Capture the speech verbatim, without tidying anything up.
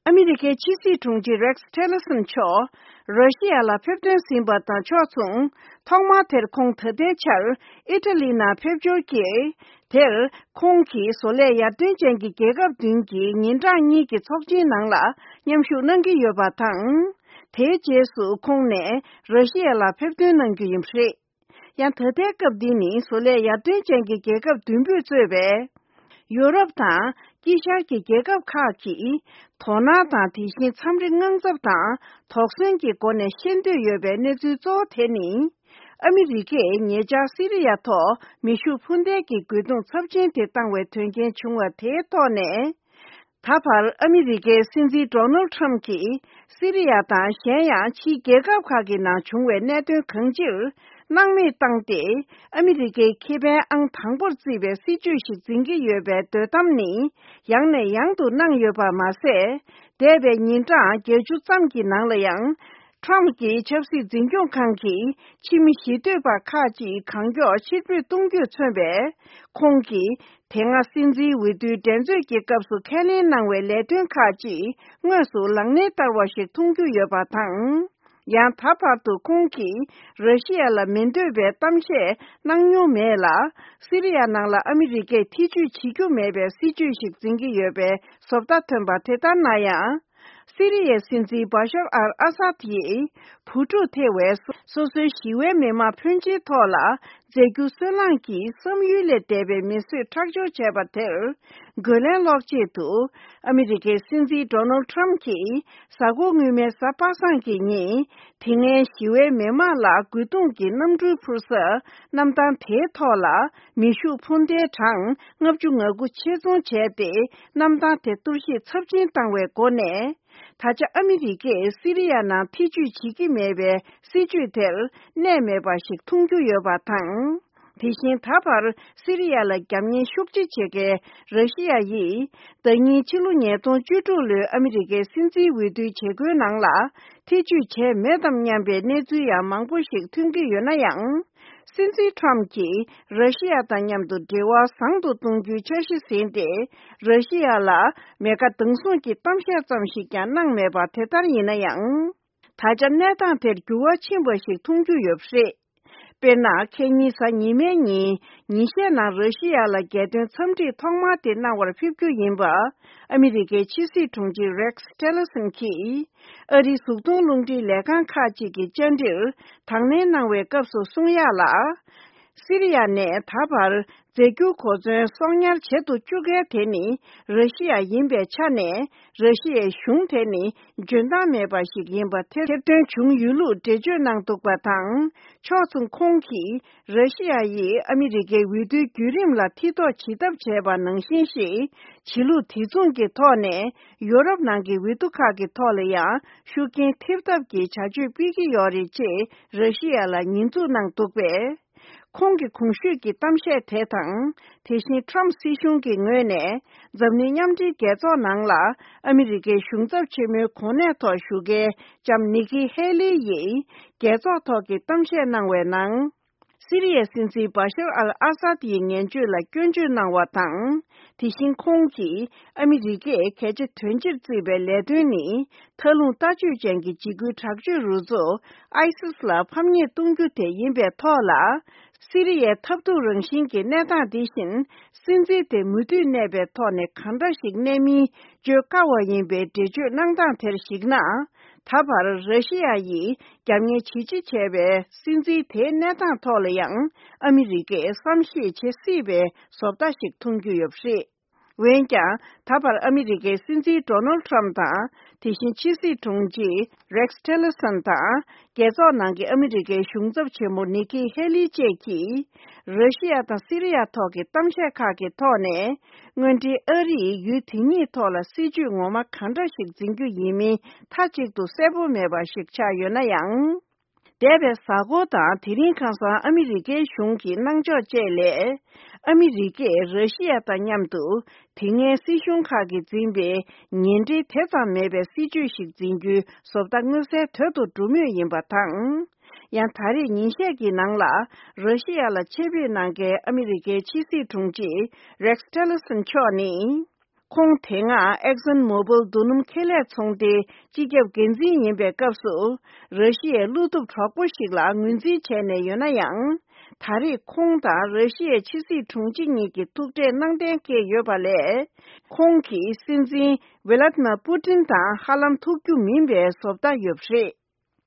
ཨ་མི་རི་ཀའི་ཕྱི་སྲིད་དྲུང་ཆེ་Rex Tillerson་མཆོག་ར་ཤི་ཡ་ལ་ཕེབས་ཐོན་ཟིན་པ་དང་ཕྱོགས་མཚུངས། ཐོག་མར་དེར་ཁོང་ད་ལྟའི་ཆར་ཨི་ཊ་ལི་ནང་ཕེབས་འབྱོར་གྱིས། དེར་ཁོང་གིས་བཟོ་ལས་ཡར་ཐོན་ཅན་གྱི་རྒྱལ་ཁབ་བདུན་གྱི་ཉིན་གྲངས་གཉིས་ཀྱི་ཚོགས་ཆེན་ནང་ལ་མཉམ་ཞུགས་གནང་གི་ཡོད་པ་དང་། དེའི་རྗེས་སུ་ཁོང་ནས་ར་ཤི་ཡ་ལ་ཕེབས་ཐོན་གནང་རྒྱུ་ཡིན་པ་རེད། ཡང་ད་ལྟའི་སྐབས་འདི་ནི་བཟོ་ལས་ཡར་ཐོན་ཅན་གྱི་རྒྱལ་ཁབ་བདུན་པོས་གཙོས་པའི་ཡོ་རོབ་དང་དཀྱིལ་ཤར་གྱི་རྒྱལ་ཁབ་ཁག་གིས་དོ་སྣང་དང་། དེ་བཞིན་འཚམས་འདྲི་དངངས་འཚབ་དང་དོགས་ཟོན་གྱི་སྒོ་ནས་ཤེས་འདོད་ཡོད་པའི་གནས་ཚུལ་གཙོ་བོ་དེ་ནི། ཨ་མི་རི་ཀས་ཉེ་ཆར་སི་རི་ཡ་ཐོག་མེ་ཤུགས་འཕུར་མདེལ་གྱི་རྒོལ་རྡུང་ཚབས་ཆེན་དེ་བཏང་བའི་དོན་རྐྱེན་བྱུང་བ་དེའི་ཐོག་ནས། ད་བར་ཨ་མི་རི་ཀའི་སྲིད་འཛིན་Donald Trump་གྱིས་སི་རི་ཡ་དང་གཞན་ཡང་ཕྱིའི་རྒྱལ་ཁབ་ཁག་གི་ནང་བྱུང་བའི་གནད་དོན་གང་ཅིར་སྣང་མེད་བཏང་སྟེ། ཨ་མི་རི་ཀའི་ཁེ་ཕན་ཨང་དང་པོར་བརྩིས་པའི་སྲིད་བྱུས་ཤིག་འཛིན་གྱི་ཡོད་པའི་འདོད་གཏམ་ནི་ཡང་ནས་ཡང་དུ་གནང་ཡོད་པ་མ་ཟད། འདས་པའི་ཉིན་གྲངས་བརྒྱད་ཅུ་ཙམ་གྱི་ནང་ལ་ཡང་། Trump་གྱི་ཆབ་སྲིད་འཛིན་སྐྱོང་ཁང་གིས་ཕྱི་མི་ཞི་འདོད་པ་ཁག་ཅིག་གང་མགྱོགས་ཕྱིར་འབུད་གཏོང་རྒྱུས་མཚོན་པའི། ཁོང་གིས་དེ་སྔ་སྲིད་འཛིན་འོས་བསྡུའི་འགྲན་རྩོད་ཀྱི་སྐབས་སུ་ཁས་ལེན་གནང་བའི་ལས་དོན་ཁག་ཅིག་དངོས་སུ་ལག་ལེན་བསྟར་བ་ཞིག་མཐོང་རྒྱུ་ཡོད་པ་དང་། ཡང་ད་བར་དུ་ཁོང་གིས་ར་ཤི་ཡ་ལ་མི་འདོད་པའི་གཏམ་བཤད་གནང་མྱོང་མེད་ལ། སི་རི་ཡ་ནང་ལ་ཨ་མི་རི་ཀས་ཐེ་བྱུས་བྱེད་རྒྱུ་མེད་པའི་སྲིད་བྱུས་ཤིག་འཛིན་གྱི་ཡོད་པའི་བཟོ་ལྟ་ཐོན་པ་དེ་ལྟར་ན་ཡང་། སི་རི་ཡའི་སྲིད་འཛིན་བ་ཤར་ཨལ་ཨ་སཱད་ཡིས་བུ་ཕྲུག་ཐེ་བའི་སོ་སོའི་ཞི་བའི་མི་མང་ཕོན་ཆེའི་ཐོག་ལ་རྫས་འགྱུར་སོལ་རླངས་ཀྱིས་བསམ་ཡུལ་ལས་འདས་པའི་མི་གསོད་ཁྲག་སྦྱོར་བྱས་པ་དེར་རྒོལ་ལན་སློག་ཆེད་དུ། ཨ་མི་རི་ཀའི་སྲིད་འཛིན་Donald Trump་གྱིས་གཟའ་འཁོར་སྔོན་མའི་གཟའ་པ་སངས་ཀྱི་ཉིན། དེ་སྔའི་ཞི་བའི་མི་མང་ལ་རྒོལ་རྡུང་གི་གནམ་གྲུའི་འཕུར་ས་གནམ་ཐང་དེའི་ཐོག་ལ་མེ་ཤུགས་འཕུར་མདེལ་གྲངས་ལྔ་བཅུ་ང་དགུ་ཆེད་རྫོང་བྱས་ཏེ། གནམ་ཐང་དེ་གཏོར་བཤིག་ཚབས་ཆེན་བཏང་བའི་སྒོ་ནས། ད་ཆ་ཨ་མི་རི་ཀས་སི་རི་ཡ་ནང་ཐེ་བྱུས་བྱེད་ཀྱི་མེད་པའི་སྲིད་བྱུས་དེར་གནས་མེད་པ་ཞིག་མཐོང་རྒྱུ་ཡོད་པ་དང་། དེ་བཞིན་ད་བར་སི་རི་ཡ་ལ་རྒྱབ་གཉེར་ཤུགས་ཆེ་བྱེད་མཁན་ར་ཤི་ཡ་ཡིས། ཟླ་ཉིན་ཕྱི་ལོ་ཉིས་སྟོང་བཅུ་དྲུག་ལོའི་ཨ་མི་རི་ཀའི་སྲིད་འཛིན་འོས་བསྡུའི་བྱེད་སྒོའི་ནང་ལ་ཐེ་བྱུས་བྱས་མེད་དམ་སྙམ་པའི་གནས་ཚུལ་ཡང་མང་པོ་ཞིག་ཐོན་གྱི་ཡོད་ན་ཡང་། སྲིད་འཛིན་Trump་གྱིས་ར་ཤི་ཡ་དང་མཉམ་དུ་འབྲེལ་བ་བཟང་དུ་གཏོང་རྒྱུའི་འཆར་གཞི་ཟིན་ཏེ། ར་ཤི་ཡ་ལ་མེ་མཁའ་མདུང་ཟུང་གི་གཏམ་བཤད་ཙམ་ཞིག་ཀྱང་གནང་མེད་པ་དེ་ལྟར་ཡིན་ན་ཡང་། ད་ཆ་གནས་སྟངས་དེར་འགྱུར་བ་ཕྱིན་པ་ཞིག་མཐོང་རྒྱུ་ཡོད་པ་རེད། དཔེར་ན། ཁ་ཉིན་གཟའ་ཉི་མའི་ཉིན། ཉིན་ཤས་ནང་ར་ཤི་ཡ་ལ་རྒྱལ་དོན་འཚམས་འདྲི་ཐོག་མ་དེ་གནང་བར་ཕེབས་རྒྱུ་ཡིན་པ། ཨ་མི་རི་ཀའི་ཕྱི་སྲིད་དྲུང་ཆེ་Rex Tillerson་གྱིས། ཨ་རིའི་གཟུགས་མཐོང་རླུང་འཕྲིན་ལས་ཁང་ཁག་ཅིག་གི་བཅར་འདྲིར་དང་ལེན་གནང་བའི་སྐབས་སུ་གསུངས་ཡག་ལ། སི་རི་ཡ་ནས་ད་བར་རྫས་འགྱུར་གོ་མཚོན་གསོག་ཉར་བྱེད་དུ་བཅུག་མཁན་དེ་ནི་ར་ཤི་ཡ་ཡིན་པའི་ཆ་ནས། ར་ཤི་ཡའི་གཞུང་དེ་ནི་འཇོན་ཐང་མེད་པ་ཞིག་ཡིན་པ་ཐེར་ཐེར་འདོན་བྱུང་ཡོད་ལུགས་འགྲེལ་བརྗོད་གནང་འདུག་པ་དང་། ཕྱོགས་མཚུངས་ཁོང་གིས་ར་ཤི་ཡ་ཡིས་ཨ་མི་རི་ཀའི་འོས་བསྡུའི་བརྒྱུད་རིམ་ལ་མཐིལ་རྟོག་བྱེད་ཐབས་བྱས་པ་ནང་བཞིན་ཞིག་བྱེད་ལུགས་དེ་མཚུངས་ཀྱི་ཐོག་ནས། ཡོ་རོབ་ནང་གི་འོས་བསྡུ་ཁག་གི་ཐོག་ལ་ཡང་ཤུགས་རྐྱེན་ཐེབས་ཐབས་ཀྱི་བྱ་སྤྱོད་སྤེལ་གྱི་ཡོད་རེད་ཅེས་ར་ཤི་ཡ་ལ་ཉེས་འཛུགས་གནང་འདུག་པས། ཁོང་གི་གོང་ཞུས་ཀྱི་གཏམ་བཤད་དེ་དང་། དེ་བཞིན་Trump་སྲིད་གཞུང་གི་ངོས་ནས་འཛམ་གླིང་མཉམ་འབྲེལ་རྒྱལ་ཚོགས་ནང་ལ་ཨ་མི་རི་ཀའི་གཞུང་ཚབ་ཆེན་མོའི་གོ་གནས་ཐོག་བཞུགས་མཁན་ལྕམ་ནི་ཀི་ཧེ་ལི་ཡིས་རྒྱལ་ཚོགས་ཐོག་གི་གཏམ་བཤད་གནང་བའི་ནང་། སི་རི་ཡའི་སྲིད་འཛིན་བ་ཤར་ཨལ་ཨ་སཱད་ཡི་ངན་སྤྱོད་ལ་སྐྱོན་བརྗོད་གནང་བ་དང་། དེ་བཞིན་ཁོང་གིས་ཨ་མི་རི་ཀས་གལ་ཆེ་དོན་ཆེར་བརྩིས་པའི་ལས་དོན་ནི། མཐའ་ལྷུང་ལྟ་སྤྱོད་ཅན་གྱི་འཇིགས་སྐུལ་དྲག་སྤྱོད་རུ་ཚོགས་ཨའི་སིས་ལ་ཕམ་ཉེས་གཏོང་རྒྱུ་དེ་ཡིན་པའི་ཐོག་ལ། སི་རི་ཡའི་འཐབ་འཁྲུག་རང་བཞིན་གྱི་གནས་སྟངས་འདི་བཞིན། སྲིད་འཛིན་དེ་མུ་མཐུད་གནས་པའི་ཐོག་ནས་གང་འདྲ་ཞིག་གནས་མིན་བརྗོད་དཀའ་བ་ཡིན་པའི་འགྲེལ་བརྗོད་གནང་སྟངས་དེར་གཞིགས་ན། ད་བར་ར་ཤི་ཡ་ཡིས་རྒྱབ་གཉེར་ཇི་ཆེ་བྱས་པའི་སྲིད་འཛིན་དེའི་གནས་སྟངས་ཐོག་ལ་ཡང་ཨ་མི་རི་ཀས་བསམ་ཤེས་བྱེད་སྲིད་པའི་བཟོ་ལྟ་ཞིག་མཐོང་རྒྱུ་ཡོད་པ་རེད། འོན་ཀྱང་། ད་བར་ཨ་མི་རི་ཀའི་སྲིད་འཛིན་Donald Trump་དང་། དེ་བཞིན་ཕྱི་སྲིད་དྲུང་ཆེ་Rex Tillerson་དང་། རྒྱལ་ཚོགས་ནང་གི་ཨ་མི་རི་ཀའི་གཞུང་ཚབ་ཆེན་མོ་ནི་ཀི་ཧེ་ལི་བཅས་ཀྱིས། ར་ཤི་ཡ་དང་སི་རི་ཡ་ཐོག་གི་གཏམ་བཤད་ཁག་གི་ཐོག་ནས། དངོས་འབྲེལ་ཨ་རིས་ཡུལ་དེ་གཉིས་ཐོག་ལ་སྲིད་བྱུས་ངོ་མ་གང་འདྲ་ཞིག་འཛིན་རྒྱུ་ཡིན་མིན་མཐའ་གཅིག་ཏུ་གསལ་པོ་མེད་པ་ཞིག་ཆགས་ཡོད་ན་ཡང་། འདས་པའི་གཟའ་འཁོར་དང་དེ་རིང་ཁ་སང་ཨ་མི་རི་ཀའི་གཞུང་གི་གནང་ཕྱོགས་བཅས་ལས། ཨ་མི་རི་ཀས་ར་ཤི་ཡ་དང་མཉམ་དུ་དེ་སྔའི་སྲིད་གཞུང་ཁག་གིས་འཛིན་པའི་ངན་འབྲེལ་དེ་ཙམ་མེད་པའི་སྲིད་བྱུས་ཤིག་འཛིན་རྒྱུའི་བཟོ་ལྟ་མངོན་གསལ་དོད་དུ་འགྲོ་མུས་ཡིན་པ་དང་། ཡང་ད་རེས་ཉིན་ཤས་ཀྱི་ནང་ལ་ར་ཤི་ཡ་ལ་ཆེད་ཕེབས་གནང་མཁན་ཨ་མི་རི་ཀའི་ཕྱི་སྲིད་དྲུང་ཆེ་Rex Tillerson་མཆོག་ནི། ཁོང་དེ་སྔ་ཨེག་སོན་མོ་བིལ་རྡོ་སྣུམ་ཁེ་ལས་ཚོང་སྡེའི་སྤྱི་ཁྱབ་འགན་འཛིན་ཡིན་པའི་སྐབས་སུ། ར་ཤི་ཡའི་བློ་སྟོབས་གྲོགས་པོ་ཞིག་ལ་ངོས་འཛིན་བྱས་ནས་ཡོད་ན་ཡང་། ད་རེས་ཁོང་དང་ར་ཤི་ཡའི་ཕྱི་སྲིད་དྲུང་ཆེ་གཉིས་ཀྱི་ཐུག་འཕྲད་གནང་གཏན་འཁེལ་ཡོད་པ་ལས། ཁོང་གིས་སྲིད་འཛིན་ཝེ་ལ་ཏི་མ་པུ་ཏིན་དང་ཧ་ལམ་ཐུག་རྒྱུ་མིན་པའི་བཟོ་ལྟ་ཡོད་པ་རེད།